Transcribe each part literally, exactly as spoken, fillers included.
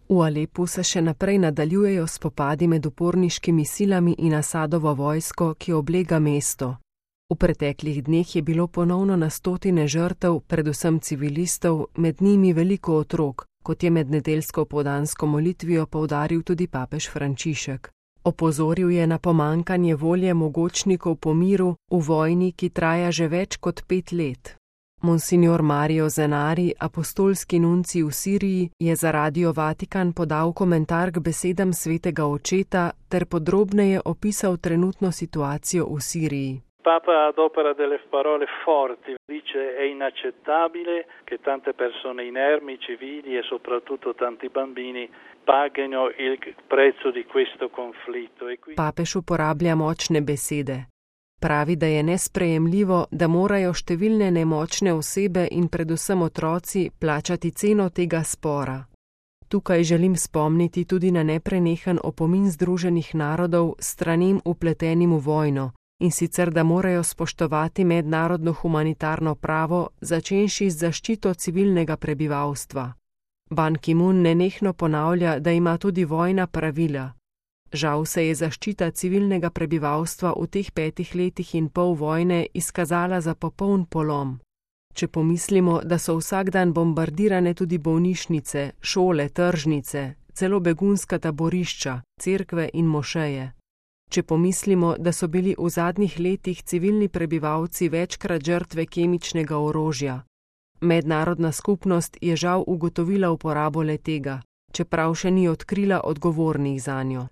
V Alepu se še naprej nadaljujejo spopadi med uporniškimi silami in Asadovo vojsko, ki oblega mesto. V preteklih dneh je bilo ponovno na stotine žrtev, predvsem civilistov, med njimi veliko otrok, kot je med nedeljsko opoldansko molitvijo poudaril tudi papež Frančišek. Opozoril je na pomanjkanje volje mogočnikov po miru v vojni, ki traja že več kot pet let. Monsignor Mario Zenari, apostolski nuncij v Siriji, je za Radio Vatikan podal komentar k besedam svetega očeta ter podrobneje opisal trenutno situacijo v Siriji. Papa adopera delle parole forti, dice è inaccettabile che tante persone inermi, civili e soprattutto tanti bambini paghino il prezzo di questo conflitto. Papež uporablja močne besede. Pravi, da je nesprejemljivo, da morajo številne nemočne osebe in predvsem otroci plačati ceno tega spora. Tukaj želim spomniti tudi na neprenehen opomin Združenih narodov stranem vpletenim v vojno, in sicer da morajo spoštovati mednarodno humanitarno pravo, začenši z zaščito civilnega prebivalstva. Ban Ki-moon nenehno ponavlja, da ima tudi vojna pravila. Žal se je zaščita civilnega prebivalstva v teh petih letih in pol vojne izkazala za popoln polom. Če pomislimo, da so vsak dan bombardirane tudi bolnišnice, šole, tržnice, celo begunska taborišča, cerkve in mošeje. Če pomislimo, da so bili v zadnjih letih civilni prebivalci večkrat žrtve kemičnega orožja. Mednarodna skupnost je žal ugotovila uporabo le-tega, čeprav še ni odkrila odgovornih zanjo.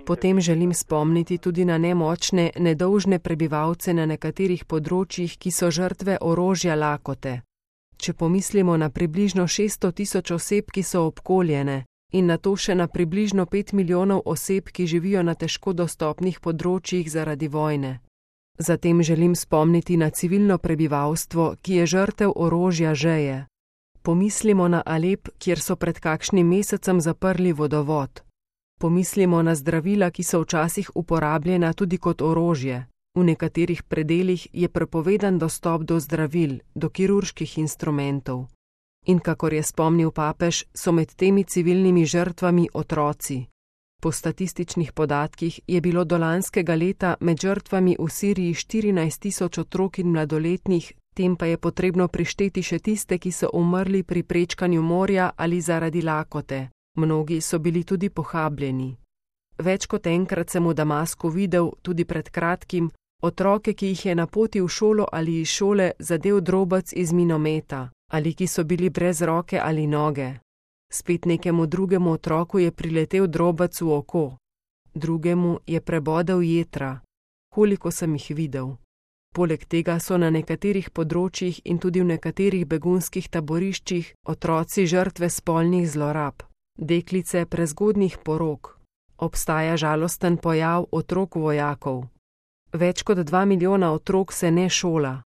Potem želim spomniti tudi na nemočne, nedolžne prebivalce na nekaterih področjih, ki so žrtve orožja lakote. Če pomislimo na približno šeststo tisoč oseb, ki so obkoljene, in na to še na približno pet milijonov oseb, ki živijo na težko dostopnih področjih zaradi vojne. Zatem želim spomniti na civilno prebivalstvo, ki je žrtev orožja žeje. Pomislimo na Alep, kjer so pred kakšnim mesecem zaprli vodovod. Pomislimo na zdravila, ki so včasih uporabljena tudi kot orožje. V nekaterih predelih je prepovedan dostop do zdravil, do kirurških instrumentov. In kakor je spomnil papež, so med temi civilnimi žrtvami otroci. Po statističnih podatkih je bilo do lanskega leta med žrtvami v Siriji štirinajst tisoč otrok in mladoletnih, tem pa je potrebno prišteti še tiste, ki so umrli pri prečkanju morja ali zaradi lakote. Mnogi so bili tudi pohabljeni. Več kot enkrat sem v Damasku videl, tudi pred kratkim, otroke, ki jih je na poti v šolo ali iz šole zadel drobec iz minometa, ali ki so bili brez roke ali noge. Spet nekemu drugemu otroku je priletel drobec v oko. Drugemu je prebodel jetra. Koliko sem jih videl. Poleg tega so na nekaterih področjih in tudi v nekaterih begunskih taboriščih otroci žrtve spolnih zlorab, deklice prezgodnjih porok. Obstaja žalosten pojav otrok vojakov. Več kot dva milijona otrok se ne šola.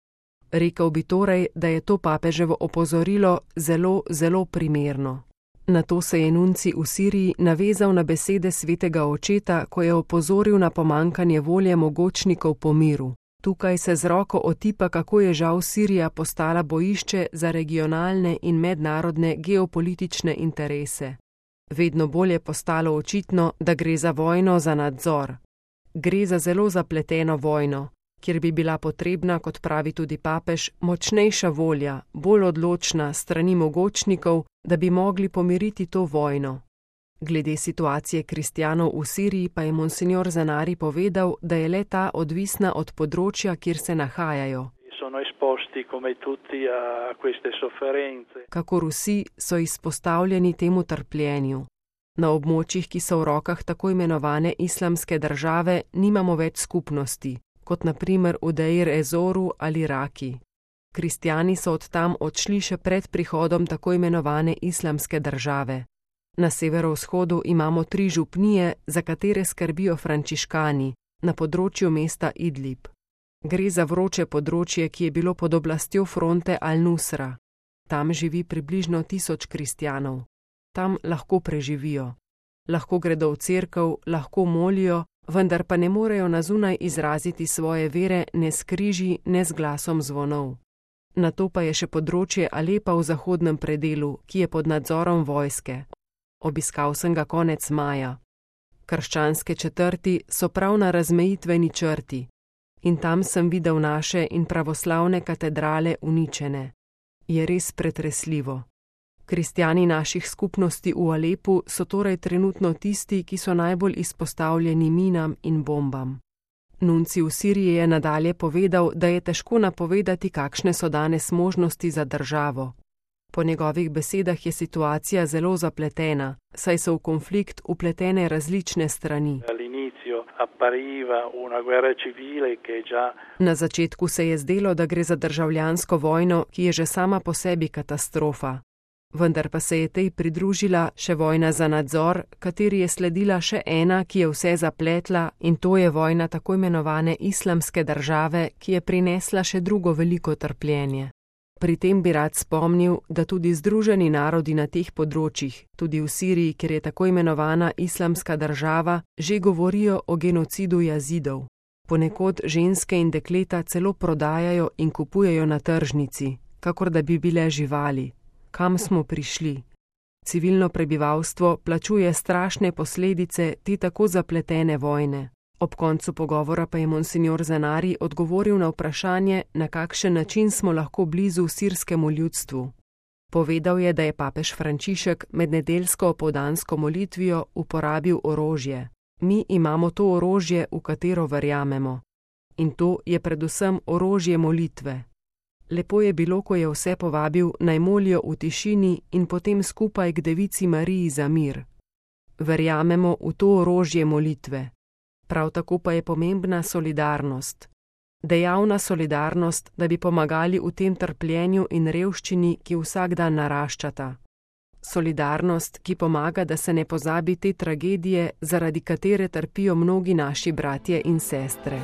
Rekel bi torej, da je to papeževo opozorilo zelo, zelo primerno. Nato se je nuncij v Siriji navezal na besede svetega očeta, ko je opozoril na pomanjkanje volje mogočnikov po miru. Tukaj se z roko otipa, kako je žal Sirija postala bojišče za regionalne in mednarodne geopolitične interese. Vedno bolj je postalo očitno, da gre za vojno za nadzor. Gre za zelo zapleteno vojno, kjer bi bila potrebna, kot pravi tudi papež, močnejša volja, bolj odločna strani mogočnikov, da bi mogli pomiriti to vojno. Glede situacije kristjanov v Siriji pa je monsignor Zenari povedal, da je le ta odvisna od področja, kjer se nahajajo. Kakor vsi so izpostavljeni temu trpljenju. Na območjih, ki so v rokah tako imenovane islamske države, nimamo več skupnosti, kot na primer v Deir Ezoru ali Raki. Kristjani so od tam odšli še pred prihodom tako imenovane islamske države. Na severovzhodu imamo tri župnije, za katere skrbijo frančiškani, na področju mesta Idlib. Gre za vroče področje, ki je bilo pod oblastjo fronte Al-Nusra. Tam živi približno tisoč kristjanov. Tam lahko preživijo. Lahko gredo v cerkev, lahko molijo, vendar pa ne morejo na zunaj izraziti svoje vere ne s križi, ne s glasom zvonov. nato pa je še področje Alepa v zahodnem predelu, ki je pod nadzorom vojske. Obiskal sem ga konec maja. Krščanske četrti so prav na razmejitveni črti in tam sem videl naše in pravoslavne katedrale uničene. Je res pretresljivo. Kristjani naših skupnosti v Alepu so torej trenutno tisti, ki so najbolj izpostavljeni minam in bombam. Nunci v Siriji je nadalje povedal, da je težko napovedati, kakšne so danes možnosti za državo. Po njegovih besedah je situacija zelo zapletena, saj so v konflikt upletene različne strani. Na začetku se je zdelo, da gre za državljansko vojno, ki je že sama po sebi katastrofa. Vendar pa se je tej pridružila še vojna za nadzor, kateri je sledila še ena, ki je vse zapletla, in to je vojna tako imenovane islamske države, ki je prinesla še drugo veliko trpljenje. Pri tem bi rad spomnil, da tudi Združeni narodi na teh področjih, tudi v Siriji, kjer je tako imenovana islamska država, že govorijo o genocidu Jazidov. Ponekod ženske in dekleta celo prodajajo in kupujejo na tržnici, kakor da bi bile živali. Kam smo prišli? Civilno prebivalstvo plačuje strašne posledice te tako zapletene vojne. Ob koncu pogovora pa je monsignor Zanari odgovoril na vprašanje, na kakšen način smo lahko blizu sirskemu ljudstvu. Povedal je, da je papež Frančišek med nedeljsko opoldansko molitvijo uporabil orožje. Mi imamo to orožje, v katero verjamemo. In to je predvsem orožje molitve. Lepo je bilo, ko je vse povabil, naj molijo v tišini in potem skupaj k Devici Mariji za mir. Verjamemo v to orožje molitve. Prav tako pa je pomembna solidarnost. Dejavna solidarnost, da bi pomagali v tem trpljenju in revščini, ki vsak dan naraščata. Solidarnost, ki pomaga, da se ne pozabi te tragedije, zaradi katere trpijo mnogi naši bratje in sestre.